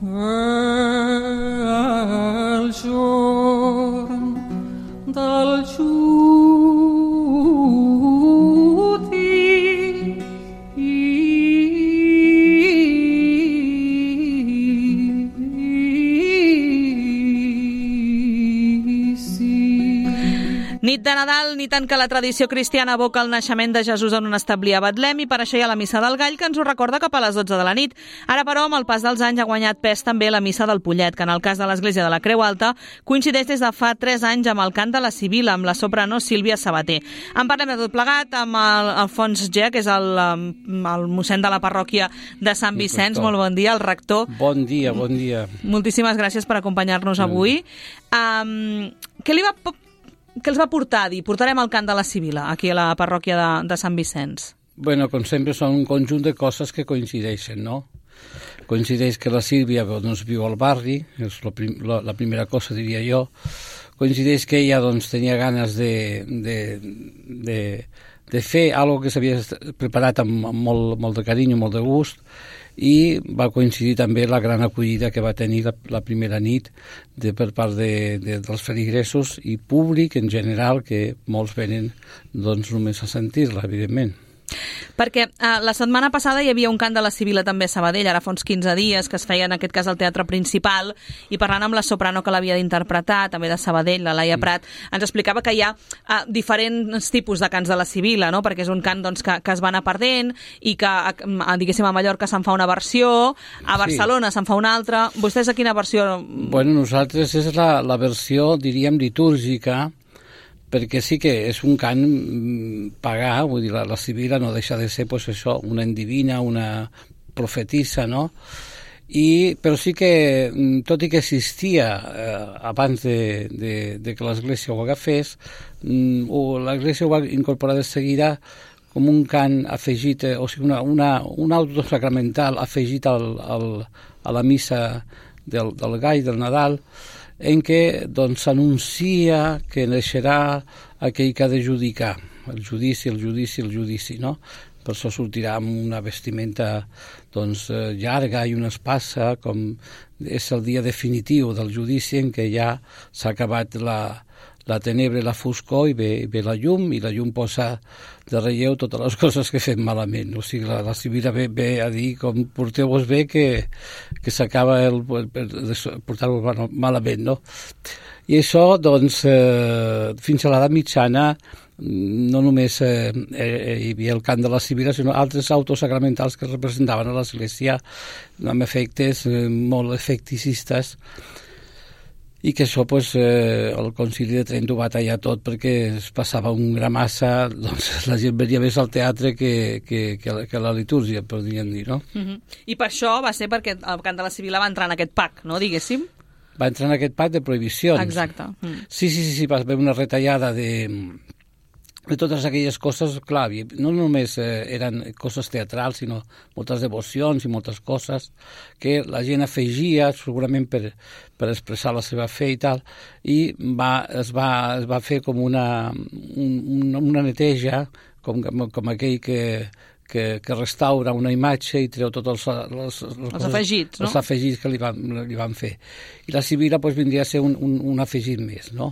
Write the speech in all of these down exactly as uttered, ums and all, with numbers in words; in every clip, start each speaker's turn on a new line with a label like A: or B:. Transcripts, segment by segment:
A: El giorn del judici
B: Nit de Nadal, ni tant que la tradició cristiana evoca el naixement de Jesús en un establí a Betlem, i per això hi ha la Missa del Gall, que ens ho recorda cap a les dotze de la nit. Ara, però, amb el pas dels anys ha guanyat pes també la Missa del Pollet, que en el cas de l'Església de la Creu Alta coincideix des de fa tres anys amb el cant de la Sibila, amb la soprano Sílvia Sabater. En parlem de tot plegat amb el Alfons Gea, que és el, el mossèn de la parròquia de Sant Vicenç. Molt bon dia, el rector.
C: Bon dia, bon dia.
B: Moltíssimes gràcies per acompanyar-nos avui. Um, què li va... Què els va portar a dir? Portarem el cant de la Sibila aquí a la parròquia de, de Sant Vicenç.
C: Bueno, com sempre, són un conjunt de coses que coincideixen, no? Coincideix que la Sílvia doncs, viu al barri, és la, prim, la, la primera cosa, diria jo. Coincideix que ella doncs, tenia ganes de, de, de, de fer alguna que s'havia preparat amb, amb molt, molt de carinyo, molt de gust, i va coincidir també la gran acollida que va tenir la, la primera nit de, per part de, de, dels feligresos i públic en general, que molts venen doncs, només a sentir-la, evidentment.
B: Perquè eh, la setmana passada hi havia un cant de la Sibila també a Sabadell, ara fa uns quinze dies, que es feia en aquest cas al Teatre Principal, i parlant amb la soprano que l'havia d'interpretar, també de Sabadell, la Laia Prat, ens explicava que hi ha eh, diferents tipus de cants de la Sibila, no? Perquè és un cant doncs, que, que es va anar perdent i que, eh, diguéssim, a Mallorca se'n fa una versió, a Barcelona sí. se'n fa una altra. Vostès a quina versió?
C: Bueno, nosaltres és la, la versió, diríem, litúrgica, perquè sí que és un cant pagà, vull dir, la, la Sibila no deixa de ser pues, això, una endivina, una profetissa, no? I, però sí que, tot i que existia eh, abans de, de, de que l'Església ho agafés, l'Església ho va incorporar de seguida com un cant afegit, o sigui, una, una, un auto sacramental afegit al, al, a la missa del, del Gall, del Nadal, en què doncs, s'anuncia que naixerà aquell que ha de judicar, el judici, el judici, el judici, no? Per això sortirà amb una vestimenta doncs, llarga i una espasa, com és el dia definitiu del judici en què ja s'ha acabat la, la tenebra i la foscor i ve, ve la llum, i la llum posa de relleu totes les coses que fem malament. O sigui, la, la Sibila ve, ve a dir com porteu-vos bé que, que s'acaba el, el portar-vos malament, no? I això, doncs, eh, fins a l'edat mitjana, no només eh, hi havia el cant de la Sibila, sinó altres autos sacramentals que representaven a l'Església amb efectes eh, molt efecticistes, i que això pues, eh, el Concili de Trent ho va tallar tot perquè es passava un gra massa, doncs la gent venia més al teatre que, que, que, la, que la litúrgia, podríem dir, no?
B: Uh-huh. I per això va ser perquè el cant de la Sibila va entrar en aquest pack, no, diguéssim?
C: Va entrar en aquest pack de prohibicions.
B: Exacte. Mm.
C: Sí, sí, sí, sí, va haver una retallada de, de totes aquelles coses, clar, no només eh, eren coses teatrals, sinó moltes devocions i moltes coses que la gent afegia, segurament per, per expressar la seva fe i tal, i va, es, va, es va fer com una, un, una neteja, com, com aquell que, que, que restaura una imatge i treu tots els, els, els,
B: els
C: coses,
B: afegits, no?
C: Els afegits que li van, li van fer. I la Sibila pues, vindria a ser un, un, un afegit més, no?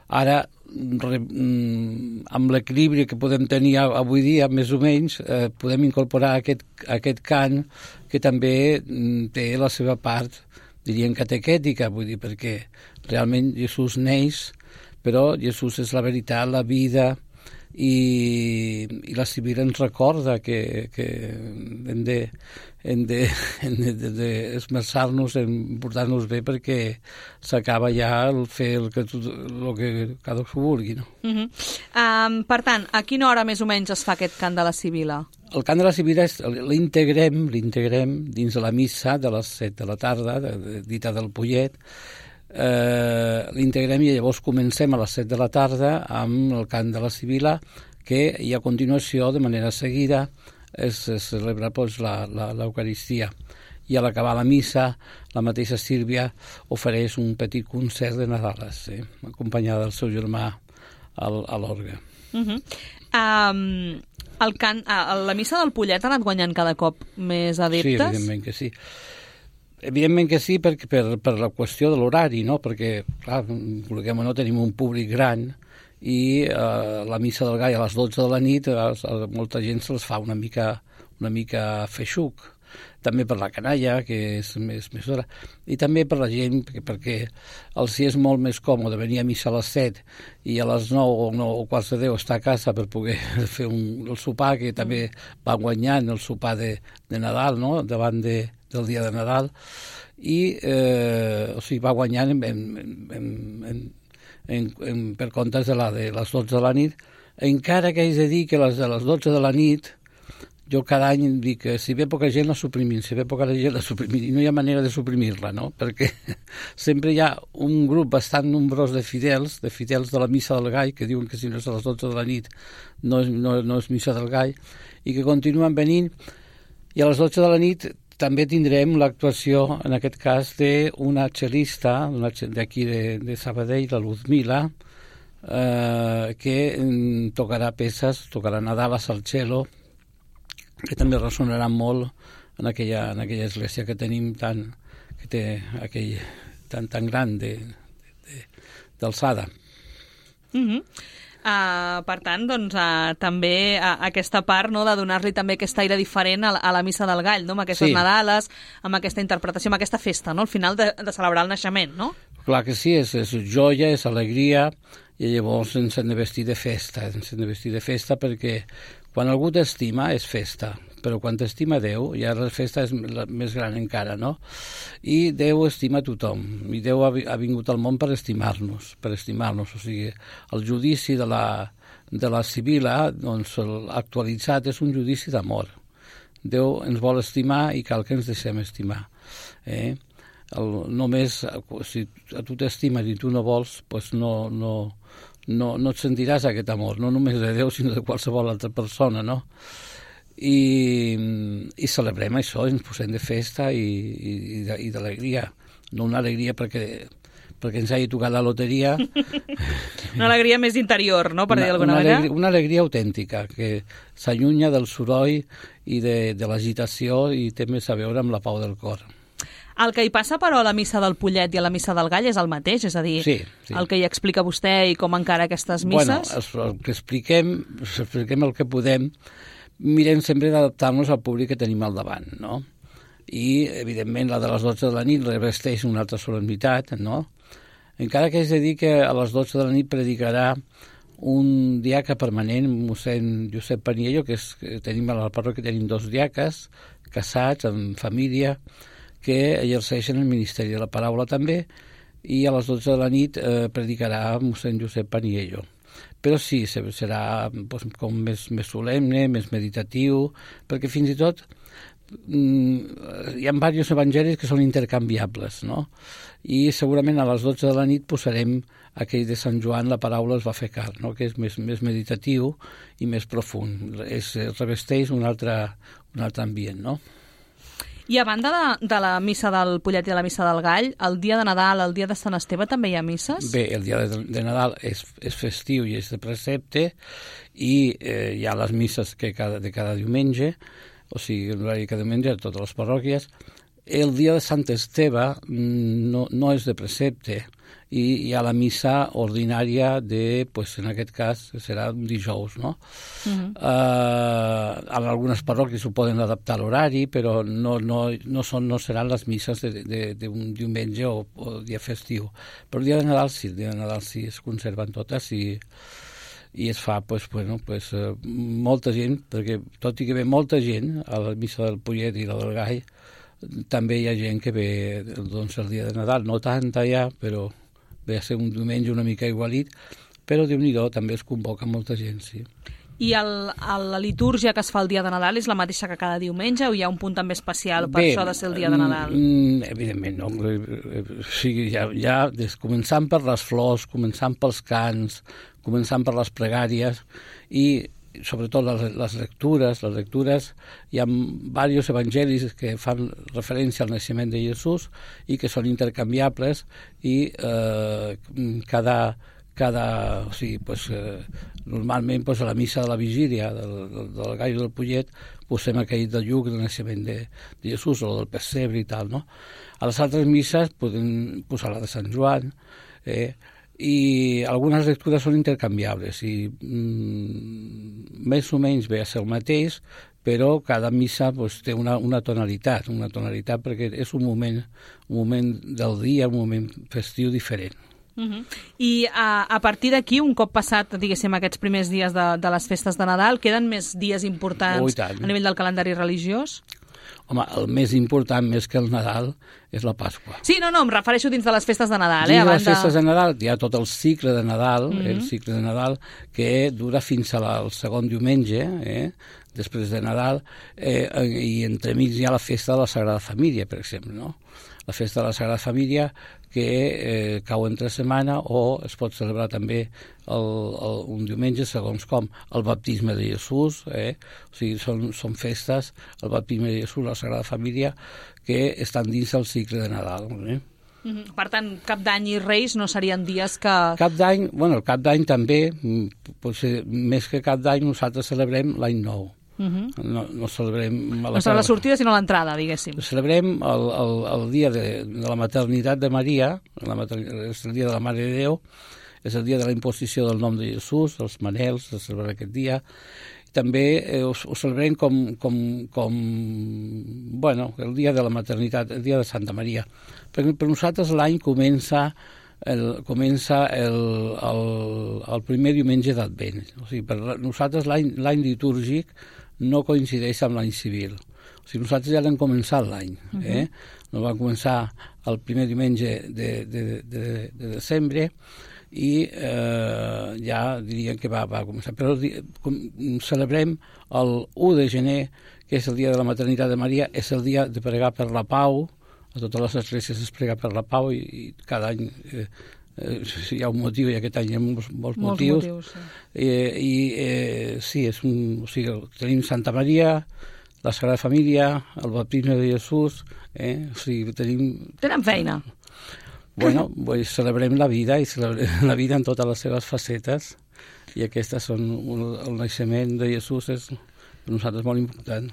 C: Ara, amb l'equilibri que podem tenir avui dia, més o menys, eh, podem incorporar aquest, aquest cant que també té la seva part, diríem, catequètica, vull dir, perquè realment Jesús neix, però Jesús és la veritat, la vida, i, i la Sibila ens recorda que, que hem de, hem de, hem de, de, de esmerçar-nos en portar-nos bé perquè s'acaba ja el fer el que, el que cadascú vulgui, no?
B: Uh-huh. um, per tant, a quina hora més o menys es fa aquest cant de la Sibila?
C: El cant de la Sibila l'integrem l'integrem dins de la missa de les set de la tarda, de, de, dita del Pollet. Eh, l'integrem i llavors comencem a les set de la tarda amb el cant de la Sibila, que i a continuació, de manera seguida, es, es celebra pues, l'Eucaristia. I a l'acabar la missa, la mateixa Sílvia ofereix un petit concert de Nadales, eh, acompanyada del seu germà al, a l'orgue.
B: Uh-huh. um, el cant, uh, la missa del Pollet ha anat guanyant cada cop més adeptes?
C: Sí, evidentment que sí. Evidentment que sí, per, per, per la qüestió de l'horari, no? Perquè, clar, vulguem o no, tenim un públic gran i eh, la missa del gall a les dotze de la nit a, a molta gent se'ls fa una mica, una mica feixuc. També per la canalla, que és més, més d'hora, i també per la gent, perquè, perquè els hi és molt més còmode venir a missa a les set i a les nou o, nou, o quarts de deu estar a casa per poder fer un, el sopar, que també va guanyant el sopar de, de Nadal, no?, davant de, del dia de Nadal, i eh, o sigui, va guanyant en, en, en, en, en, en, per comptes de, la, de les dotze de la nit, encara que haig de dir que les de les dotze de la nit jo cada any dic que si ve poca gent la suprimim, si ve poca gent la suprimim, i no hi ha manera de suprimir-la, no? Perquè sempre hi ha un grup bastant nombrós de fidels, de fidels de la missa del gall, que diuen que si no és a les dotze de la nit no és, no, no és missa del gall, i que continuen venint, i a les dotze de la nit també tindrem l'actuació, en aquest cas, d'una cel·lista d'aquí de, de Sabadell, la Luzmila, eh, que tocarà peces, tocarà Nadalas al cello, que també ressonarà molt en aquella, en aquella església que tenim tan, que té aquell tan, tan gran de, de, d'alçada.
B: Mm-hmm. Uh, per tant, doncs, uh, també uh, aquesta part, no?, de donar-li també aquest aire diferent a la, a la missa del gall, no?, amb aquestes sí. Nadales, amb aquesta interpretació, amb aquesta festa, no?, al final de, de celebrar el naixement, no?
C: Clar que sí, és, és joia, és alegria, i llavors ens hem de vestir de festa, ens hem de vestir de festa perquè quan algú t'estima és festa, però quan t'estima Déu, ja la festa és la més gran encara, no? I Déu estima tothom, i Déu ha, ha vingut al món per estimar-nos, per estimar-nos, o sigui, el judici de la, de la Sibila, doncs, actualitzat, és un judici d'amor. Déu ens vol estimar i cal que ens deixem estimar, eh? El, només, si a tu t'estimes i tu no vols, doncs no, no, no, no et sentiràs aquest amor, no només de Déu, sinó de qualsevol altra persona, no? I, i celebrem això, ens posem de festa i, i, i d'alegria. No una alegria perquè, perquè ens hagi tocat la loteria.
B: Una alegria més interior, no?, per dir d'alguna manera.
C: Alegria, una alegria autèntica, que s'allunya del soroll i de, de l'agitació i té més a veure amb la pau del cor.
B: El que hi passa, però, a la missa del Pollet i a la missa del Gall és el mateix, és a dir,
C: sí, sí.
B: el que hi explica vostè i com encara aquestes misses...
C: Bueno, el que expliquem, expliquem el que podem, mirem sempre d'adaptar-nos al públic que tenim al davant, no? I, evidentment, la de les dotze de la nit revesteix una altra solemnitat, no? Encara que és de dir que a les dotze de la nit predicarà un diaca permanent, mossèn Josep Paniello, que, és, que tenim a la parròquia, tenim dos diaques, casats, en família, que exerceixen el Ministeri de la Paraula també, i a les dotze de la nit eh, predicarà mossèn Josep Paniello. Però sí, serà doncs, com més, més solemne, més meditatiu, perquè fins i tot mm, hi ha diversos evangelis que són intercanviables, no? I segurament a les dotze de la nit posarem aquell de Sant Joan, la paraula es va fer carn, no? Que és més, més meditatiu i més profund. Es revesteix un altre, un altre ambient, no?
B: I a banda de, de la missa del Pollet i de la missa del Gall, el dia de Nadal, el dia de Sant Esteve, també hi ha misses?
C: Bé, el dia de, de Nadal és, és festiu i és de precepte, i eh, hi ha les misses que cada, de cada diumenge, o sigui, l'horari de cada diumenge a totes les parròquies. El dia de Sant Esteve no, no és de precepte, i hi ha la missa ordinària de, pues, en aquest cas, serà un dijous, no? Uh-huh. Uh, en algunes parròquies ho poden adaptar a l'horari, però no, no, no, són, no seran les misses d'un diumenge o, o dia festiu. Però el dia de Nadal sí, el dia de Nadal sí, es conserven totes i, i es fa, pues, bueno, pues, uh, molta gent, perquè tot i que ve molta gent a la missa del Pollet i la del Gall, també hi ha gent que ve, doncs, el dia de Nadal, no tanta ja, però ve a ser un diumenge una mica igualit, però Déu-n'hi-do, també es convoca molta gent, sí.
B: I el, el, la litúrgia que es fa el dia de Nadal és la mateixa que cada diumenge o hi ha un punt també especial per Bé, això de ser el dia de Nadal?
C: Mm, evidentment, no. O sigui, ja, ja des, començant per les flors, començant pels cants, començant per les pregàries i sobretot les, les lectures, les lectures, hi ha diversos evangelis que fan referència al naixement de Jesús i que són intercanviables i eh, cada, cada, o sigui, pues, eh, normalment pues, a la missa de la vigília del, del, del Gall del Pollet posem aquell del lluc del naixement de, de Jesús o del pessebre i tal, no? A les altres misses podem posar la de Sant Joan, eh, i algunes lectures són intercanviables i mm, més o menys ve a ser el mateix, però cada missa pues, té una, una tonalitat, una tonalitat perquè és un moment, un moment del dia, un moment festiu diferent.
B: Uh-huh. I a, a partir d'aquí, un cop passat, diguéssim, aquests primers dies de, de les festes de Nadal, queden més dies importants oh, a nivell del calendari religiós?
C: Home, el més important, més que el Nadal, és la Pasqua.
B: Sí, no, no, em refereixo dins de les festes de Nadal.
C: Dins
B: eh,
C: de les festes
B: de...
C: de Nadal hi ha tot el cicle de Nadal, mm-hmm. el cicle de Nadal, que dura fins al segon diumenge, eh, després de Nadal, eh, i entremig hi ha la festa de la Sagrada Família, per exemple, no? La festa de la Sagrada Família que eh, cau entre setmana o es pot celebrar també el, el, un diumenge, segons com, el baptisme de Jesús, eh? O sigui, són, són festes, el baptisme de Jesús, la Sagrada Família, que estan dins del cicle de Nadal. Eh?
B: Mm-hmm. Per tant, Cap d'Any i Reis no serien dies que...
C: Cap d'Any, bueno, el Cap d'Any també, potser més que Cap d'Any nosaltres celebrem l'Any Nou. Uh-huh. no, no celebrem la,
B: no serà la sortida sinó l'entrada, diguéssim.
C: Celebrem el, el, el dia de, de la maternitat de Maria, la mater... és el dia de la Mare de Déu, és el dia de la imposició del nom de Jesús, els manels, es celebra aquest dia. També eh, ho, ho celebrem com, com, com bueno, el dia de la maternitat, el dia de Santa Maria. Per, per nosaltres l'any comença El, comença el, el, el primer diumenge d'Advent. O sigui, per nosaltres l'any litúrgic no coincideix amb l'any civil. O sigui, nosaltres ja l'hem començat l'any. Eh? Uh-huh. No vam començar el primer diumenge de, de, de, de desembre i eh, ja diríem que va, va començar. Però com, celebrem el u de gener, que és el dia de la maternitat de Maria, és el dia de pregar per la pau. A totes les esglésies es prega per la pau i, i cada any eh, eh, hi ha un motiu i aquest any hi ha molts, molts, molts motius. motius sí. Eh, I eh, sí, és un, o sigui, tenim Santa Maria, la Sagrada Família, el baptisme de Jesús, eh, o sigui, tenim...
B: Tenen feina.
C: Bueno, pues celebrem la vida i celebrem la vida en totes les seves facetes i aquestes són, un, el naixement de Jesús és per nosaltres molt important.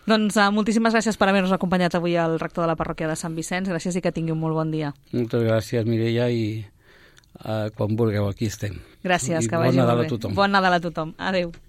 B: Doncs uh, moltíssimes gràcies per haver-nos acompanyat avui al rector de la parròquia de Sant Vicenç. Gràcies i que tingui un molt bon dia.
C: Moltes gràcies, Mireia, i uh, quan vulgueu aquí estem.
B: Gràcies,
C: I
B: que vagi
C: bon Nadal
B: molt bé.
C: a tothom.
B: Bon Nadal a tothom. Adéu.